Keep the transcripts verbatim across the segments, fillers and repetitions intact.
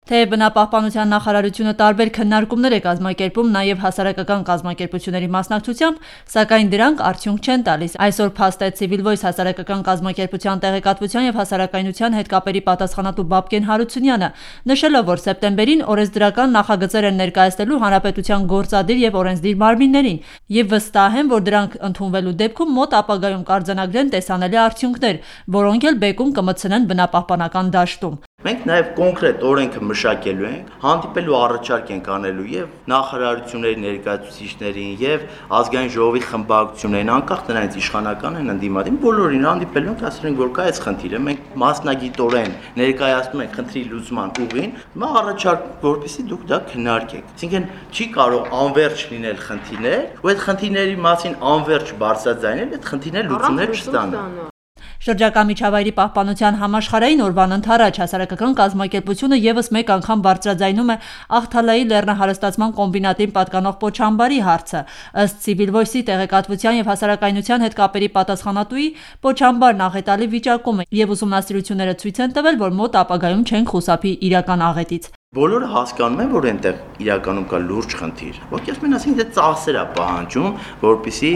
Թեև բնապահպանության նախարարությունը տարբեր քննարկումներ է կազմակերպում նաև հասարակական կազմակերպությունների մասնակցությամբ, սակայն դրանք արդյունք չեն տալիս։ Այսօր փաստեց Civil Voice հասարակական կազմակերպության տեղեկատվության եւ հասարակայնության հետ կապերի պատասխանատու Բաբկեն Հարությունյանը, նշելով, որ սեպտեմբերին օրենսդրական նախագծեր են ներկայացնելու հանրապետության գործադիր եւ օրենսդիր մարմիններին եւ վստահ են, որ դրանք ընդունվելու դեպքում մոտ ապագայում կարձանագրեն տեսանելի արդյունքներ, որոնք էլ բեկում կմտցնեն բնապահպանական դաշտում։ Մենք նաև կոնկրետ օրենքը մշակելու ենք, հանդիպելու առաջարկ ենք անելու եւ նախարարությունների ներկայացուցիչներին եւ ազգային ժողովի խմբակցություններին, անկախ նրանից իշխանական են ընդդիմադին, բոլորին հանդիպելու ենք, ասել ենք, որ կա այս խնդիրը, մենք մասնագիտորեն ներկայացնում ենք խնդրի լուծման ուղին, հիմա առաջարկ, որպեսզի դուք դա քննարկեք։ Այսինքն չի կարող անվերջ լինել խնդիրներ, ու այդ խնդիրների մասին անվերջ բարձրաձայնել, այդ խնդիրները լուծումներ չստանան։ Շրջակա միջավայրի պահպանության համաշխարհային օրվան ընդառաջ հասարակական կազմակերպությունը եւս մեկ անգամ բարձրաձայնում է Աղթալայի լեռնահարստացման կոմբինատին պատկանող Պոչամբարի հարցը։ Ըստ Civil Voice-ի տեղեկատվության եւ հասարակայնության հետ կապերի պատասխանատուի, Պոչամբարն աղետալի վիճակում է եւ ուսումնասիրությունները ցույց են տվել, որ մոտ ապագայում չեն խուսափի իրական աղետից։ Բոլորը հասկանում են, որ այնտեղ իրականում կա լուրջ խնդիր։ Ովքեր ասում են, ասենք դա ծախսեր է պահանջում, որպեսզի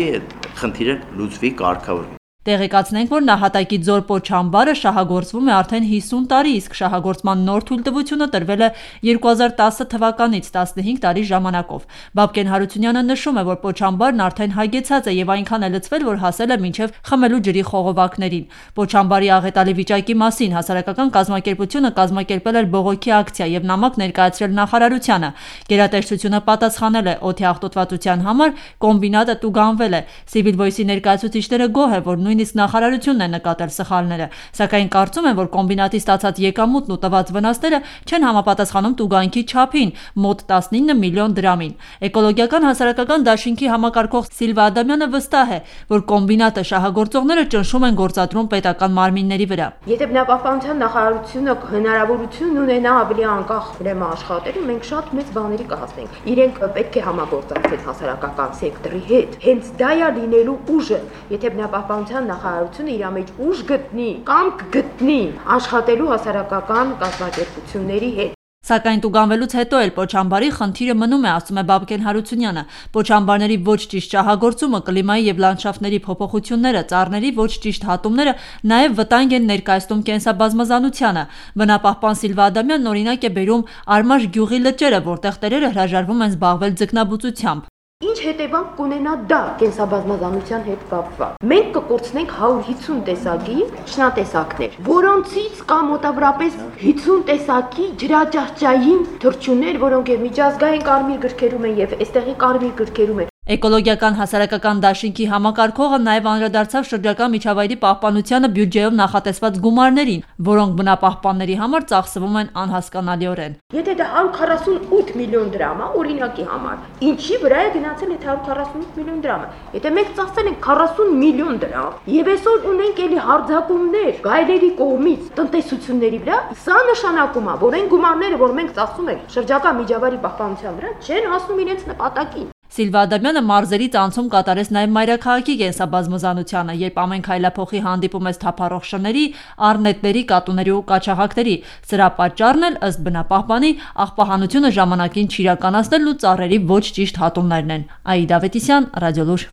խնդիրը լուծվի, կարգավորվի։ Տեղեկացնենք, որ նահատակի Ձոր Պոչամբարը շահագործվում է արդեն հիսուն տարի, իսկ շահագործման նոր թույլտվությունը տրվել է երկու հազար տասը թվականից տասնհինգ տարի ժամանակով։ Բաբկեն Հարությունյանը նշում է, որ Պոչամբարն արդեն հագեցած է եւ այնքան է լցվել, որ հասել է մինչեւ խմելու ջրի խողովակներին։ Պոչամբարի աղետալի վիճակի մասին հասարակական կազմակերպությունը կազմակերպել էր բողոքի ակցիա եւ նամակ ներկայացրել նախարարությանը։ Գերատեսչությունը պատասխանել է օդի աղտոտվածության համար, կոմբինատը տուգանվել է։ Civil Voice-ի ներկայացուցիչները գոհ է, որ նույնիսկ նախարարությունն է նկատել սխալները, սակայն կարծում են, որ կոմբինատի ստացած եկամուտն ու տված վնասները չեն համապատասխանում տուգանքի չափին՝ մոտ տասնինը միլիոն դրամին։ Էկոլոգիական հասարակական դաշինքի համակարգող Սիլվա Ադամյանը վստահ է, որ կոմբինատը շահագործողները ճնշում են գործադրում պետական մարմինների վրա։ Եթե բնապահպանության նախարարությունը հնարավորություն ունենա ավելի անկախ ուրեմն աշխատելու, մենք շատ մեծ բաների կհասնենք։ Իրենք պետք է համագործակցեն հասարակական սեկտորի հետ։ Հենց դա է լինելու ուժը, եթե բնապահպանության նախարարությունը իր մեջ ուժ գտնի կամ կգտնի աշխատելու հասարակական կազմակերպությունների հետ։ Սակայն տուգանվելուց հետո էլ Պոչամբարի խնդիրը մնում է, ասում է Բաբկեն Հարությունյանը։ Պոչամբարների ոչ ճիշտ շահագործումը, կլիմայի եւ լանդշաֆտների փոփոխությունները, ծառների ոչ ճիշտ հատումները նաեւ վտանգ են ներկայացնում կենսաբազմազանությանը։ Բնապահպան Սիլվա Ադամյանն օրինակ է բերում Արմաշ գյուղի լճերը, որտեղ տերերը հրաժարվում են զբաղվել ձկնաբուծությամբ։ Ինչ հետևանք կունենա դա կենսաբազմազանության հետ կապված։ Մենք կկորցնենք հարյուր հիսուն տեսակի շնատեսակներ, որոնցից կա մոտավորապես հիսուն տեսակի ջրաճահճային թռչուններ, որոնք եւ միջազգային կարմիր գրքերում են եւ այստեղի կարմիր գրքերում են։ Էկոլոգիական հասարակական դաշինքի համակարգողը նաև անդրադարձավ շրջակա միջավայրի պահպանությանը բյուջեով նախատեսված գումարներին, որոնք բնապահպանների համար ծախսվում են անհասկանալիորեն։ Եթե դա հարյուր քառասունութ միլիոն դրամ է, օրինակի համար, ինչի վրա է գնացել այդ հարյուր քառասունութ միլիոն դրամը։ Եթե մենք ծախսել ենք քառասուն միլիոն դրամ, եւ այսօր ունենք էլի հարձակումներ գայլերի կողմից տնտեսությունների վրա, սա նշանակում է, որ այն գումարները, որ մենք ծախսում ենք շրջակա միջավայրի պահպանության վրա, չեն հասնում իրենց նպատակին։ Սիլվա Ադամյանը մարզերից անցում կատարեց նաև մայրաքաղաքի կենսաբազմազանությանը, երբ ամեն քայլափոխի հանդիպում ես թափառող շների, առնետների, կատուների ու կաչաղակների։ Սրա պատճառն էլ ըստ բնապահպանի աղբահանությունը ժամանակին չիրականացնելն ու ծառերի ոչ ճիշտ հատումներն են։ Աիդա Ավետիսյան, Ռադիոլուր։